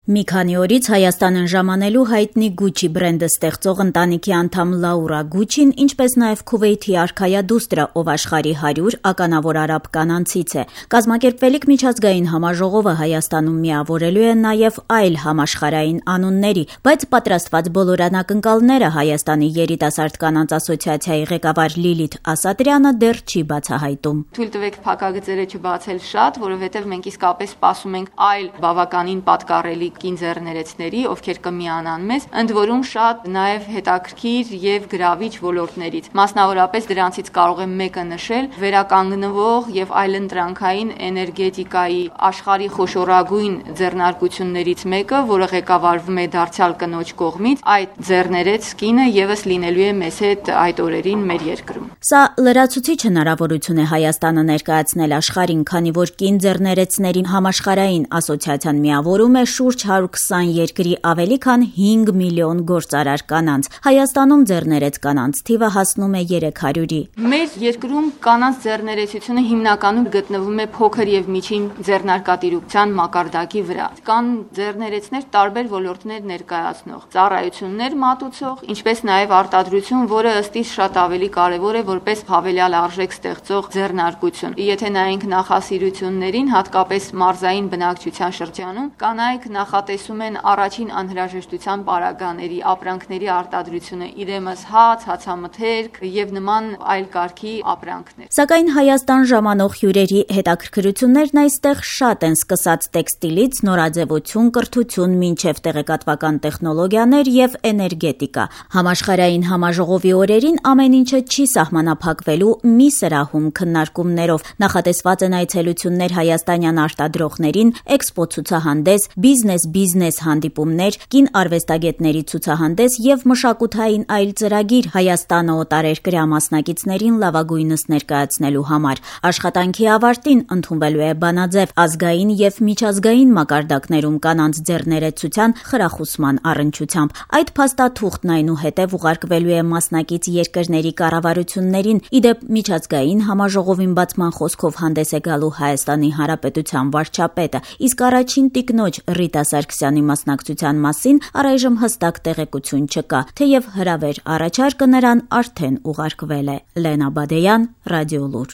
Մի քանի օրից Հայաստանն ժամանելու հայտնի Gucci բրենդը ստեղծող ընտանիքի անդամ Լաուրա Գուչին, ինչպես նաև Քուվեյթի արքայա դուստրը, ով աշխարհի 100 ականավոր արաբ կանանցից է։ Կազմակերպվելիք միջազգային համաժողովը Հայաստանում միավորելու է նաև այլ համաշխարհային անունների, բայց պատրաստված բոլոր անակնկալները Հայաստանի երիտասարդ կանանց ասոցիացիայի ղեկավար Լիլիթ Ասատրյանը դեռ չի բացահայտում։ Թույլ տվեք փակագծերը չբացել շատ, որովհետև մենք իսկապես սպասում ենք այլ բավականին պատկառելի կինձեռներեցների, ովքեր կմիանան մեզ, ընդ որում շատ նաև հետաքրքիր եւ գրավիչ ոլորտներից։ Մասնավորապես դրանցից կարող եմ մեկը նշել՝ վերականգնվող եւ այլընտրանքային էներգետիկայի աշխարհի խոշորագույն ձեռնարկություններից մեկը, որը ղեկավարվում է դարձյալ կնոջ կողմից, այդ ձեռներեց կինը եւս լինելու է մեզ հետ այդ օրերին մեր երկրում։ Սա լրացուցիչ հնարավորություն է Հայաստանը ներկայացնել աշխարհին, քանի որ կինձեռներեցների համաշխարհային ասոցիացիան միավորում է շուրջ 120 երկրի ավելի քան 5 միլիոն գործարար կանանց։ Հայաստանում ձեռներեց կանանց թիվը հասնում է 300-ի։ Մեր երկրում կանանց ձեռներեցությունը հիմնականում գտնվում է փոքր եւ միջին ձեռնարկատիրության մակարդակի վրա։ Կան ձեռներեցներ տարբեր ոլորտներ ներկայացնող, ծառայություններ մատուցող, ինչպես նաև արտադրություն, որը ըստ իս շատ ավելի կարևոր է որպես հավելյալ արժեք ստեղծող ձեռնարկություն։ Եթե նայենք նախասիրություններին, հատկապես մարզային բնակչության շրջանում, կանայք նախատեսում են առաջին անհրաժեշտության պարագաների, ապրանքների արտադրությունը, իրեմս հաց, հացամթերք եւ նման այլ կարգի ապրանքներ։ Սակայն Հայաստան ժամանող հյուրերի հետաքրքրություններն այստեղ շատ են, սկսած տեքստիլից, նորաձևություն, կրթություն, մինչև տեղեկատվական տեխնոլոգիաներ եւ էներգետիկա։ Համաշխարհային համաժողովի օրերին ամեն ինչը չի սահմանափակվելու մի սրահում քննարկումներով։ Նախատեսված են այցելություններ հայաստանյան արտադրողներին, էքսպո ցուցահանդես, բիզնես հանդիպումներ, կին արվեստագետների ցուցահանդես եւ մշակութային այլ ծրագիր Հայաստանը օտարերկրյա մասնակիցներին լավագույնս ներկայացնելու համար։ Աշխատանքի ավարտին ընդունվելու է բանաձև ազգային եւ միջազգային մակարդակներում կանանց ձեռներեցության խրախուսման առնչությամբ։ Այդ փաստաթուղթն այնուհետև ուղարկվելու է մասնակից երկրների կառավարություններին։ Իդեպ միջազգային համաժողովին բացման խոսքով հանդես է գալու Հայաստանի Հանրապետության վարչապետը, իսկ առաջին տիկնոջ Ռիտա Սարգսյանի մասնակցության մասին առայժմ հստակ տեղեկություն չկա, թեև հրավեր առաջարկը նրան արդեն ուղարկվել է։ Լենա Բադեյան, Ռադիոլուր։